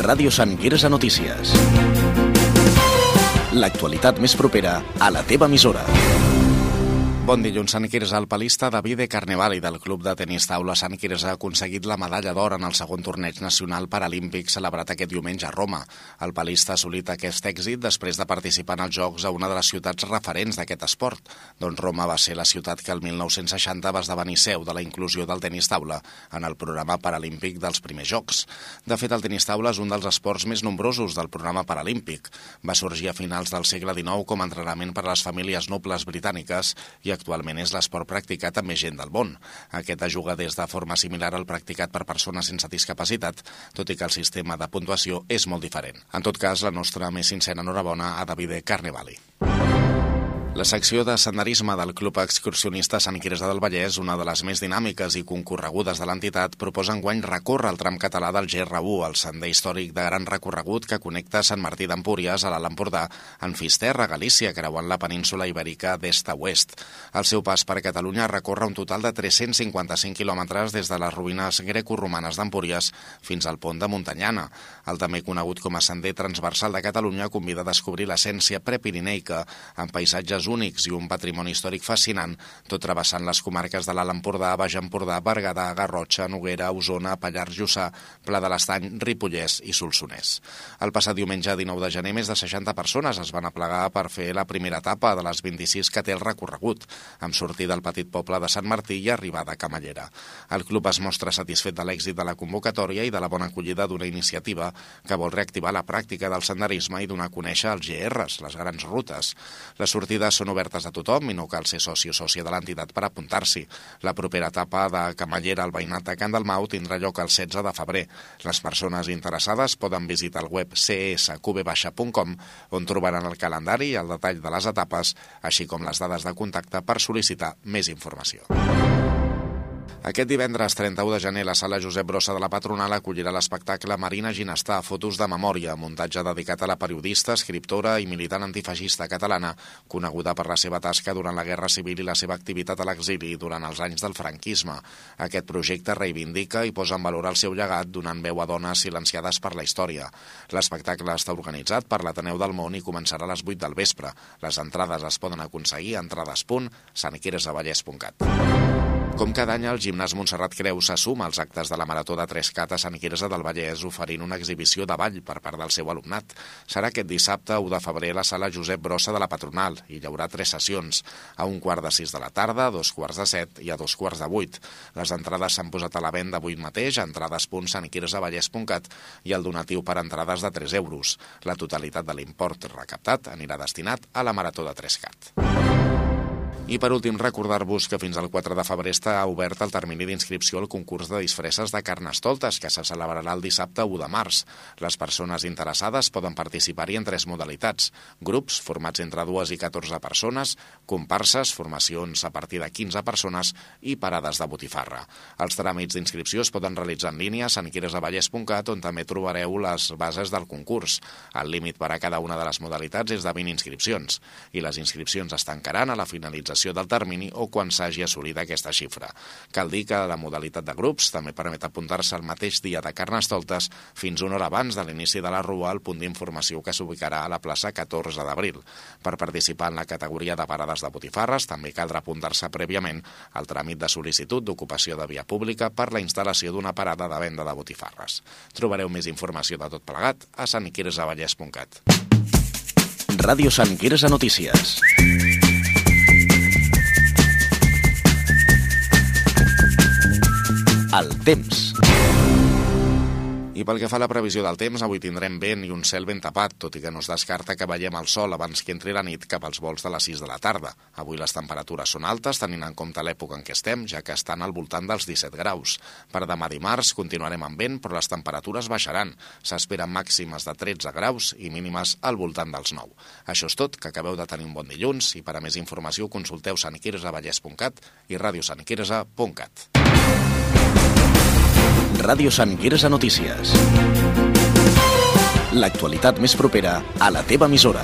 Ràdio Sant Quirze Notícies. L'actualitat més propera a la teva emissora. Bon dilluns. Sant Quirze. El palista Davide Carnevali del Club de Tenis Taula Sant Quirze ha aconseguit la medalla d'or en el segon torneig nacional paralímpic celebrat aquest diumenge a Roma. El palista ha assolit aquest èxit després de participar en els Jocs a una de les ciutats referents d'aquest esport, doncs Roma va ser la ciutat que el 1960 va esdevenir seu de la inclusió del tenis taula en el programa paralímpic dels primers Jocs. De fet, el tenis taula és un dels esports més nombrosos del programa paralímpic. Va sorgir a finals del segle XIX com a entrenament per a les famílies nobles britàniques i actualment és l'esport practicat amb més gent del món. Aquest es juga des de forma similar al practicat per persones sense discapacitat, tot i que el sistema de puntuació és molt diferent. En tot cas, la nostra més sincera enhorabona a Davide Carnevali. La secció de senderisme del Club Excursionista Sant Quirze del Vallès, una de les més dinàmiques i concorregudes de l'entitat, proposa enguany recórrer el tram català del GR1, el sender històric de gran recorregut que connecta Sant Martí d'Empúries a l'Alt Empordà, en Fisterra, Galícia, creuant la península ibèrica d'est a oest. El seu pas per Catalunya recorre un total de 355 quilòmetres des de les ruïnes greco-romanes d'Empúries fins al pont de Montanyana. El també conegut com a Sender Transversal de Catalunya convida a descobrir l'essència prepirineica amb paisatges únics i un patrimoni històric fascinant, tot travessant les comarques de l'Alt Empordà, Baix Empordà, Berguedà, Garrotxa, Noguera, Osona, Pallars Jussà, Pla de l'Estany, Ripollès i Solsonès. El passat diumenge 19 de gener, més de 60 persones es van aplegar per fer la primera etapa de les 26 que té el recorregut, amb sortida del petit poble de Sant Martí i arribada a Camallera. El club es mostra satisfet de l'èxit de la convocatòria i de la bona acollida d'una iniciativa que vol reactivar la pràctica del senderisme i donar a conèixer els GRs, les grans rutes. Les sortides són obertes a tothom i no cal ser soci o sòcia de l'entitat per apuntar-s'hi. La propera etapa de Camallera al veïnat de Can Dalmau tindrà lloc el 16 de febrer. Les persones interessades poden visitar el web csqb.com, on trobaran el calendari i el detall de les etapes, així com les dades de contacte per sol·licitar més informació. Aquest divendres 31 de gener, la sala Josep Brossa de la Patronal acollirà l'espectacle Marina Ginestà, fotos de memòria, muntatge dedicat a la periodista, escriptora i militant antifeixista catalana, coneguda per la seva tasca durant la Guerra Civil i la seva activitat a l'exili durant els anys del franquisme. Aquest projecte reivindica i posa en valor el seu llegat, donant veu a dones silenciades per la història. L'espectacle està organitzat per l'Ateneu del Món i començarà a les 8 del vespre. Les entrades es poden aconseguir a entrades.santquirzavallès.cat. Com cada any, el Gimnàs Montserrat Creu s'assuma als actes de la Marató de 3Cat a Sant Quirze del Vallès, oferint una exhibició de ball per part del seu alumnat. Serà aquest dissabte 1 de febrer a la sala Josep Brossa de la Patronal i hi haurà 3 sessions, a 5:45 de la tarda, a 6:45 i a 7:15. Les entrades s'han posat a la venda avui mateix a entrades.santquirzavallès.cat i el donatiu per entrades de 3 euros. La totalitat de l'import recaptat anirà destinat a la Marató de 3Cat. I per últim, recordar-vos que fins al 4 de febrer està obert el termini d'inscripció al concurs de disfresses de Carnestoltes, que se celebrarà el dissabte 1 de març. Les persones interessades poden participar-hi en 3 modalitats: grups, formats entre 2 i 14 persones, comparses, formacions a partir de 15 persones i parades de botifarra. Els tràmits d'inscripció es poden realitzar en línia a santquirzavallès.cat, on també trobareu les bases del concurs. El límit per a cada una de les modalitats és de 20 inscripcions, i les inscripcions es tancaran a la finalització del termini o quan s'hagi assolit aquesta xifra. Cal dir que la modalitat de grups també permet apuntar-se el mateix dia de Carnestoltes fins una hora abans de l'inici de la rua al punt d'informació que s'ubicarà a la plaça 14 d'abril. Per participar en la categoria de parades de botifarres també caldrà apuntar-se prèviament al tràmit de sol·licitud d'ocupació de via pública per la instal·lació d'una parada de venda de botifarres. Trobareu més informació de tot plegat a santquirzavallès.cat. Ràdio Sant Quirze Notícies. El temps. I pel que fa a la previsió del temps, avui tindrem vent i un cel ben tapat, tot i que no es descarta que veiem el sol abans que entri la nit cap als volts de les 6 de la tarda. Avui les temperatures són altes, tenint en compte l'època en què estem, ja que estan al voltant dels 17 graus. Per demà dimarts continuarem amb vent, però les temperatures baixaran. S'esperen màximes de 13 graus i mínimes al voltant dels 9. Això és tot, que acabeu de tenir un bon dilluns, i per a més informació consulteu santquirzavallès.cat i radiosantquirze.cat. Ràdio Sant Quirze Notícies. L'actualitat més propera a la teva emissora.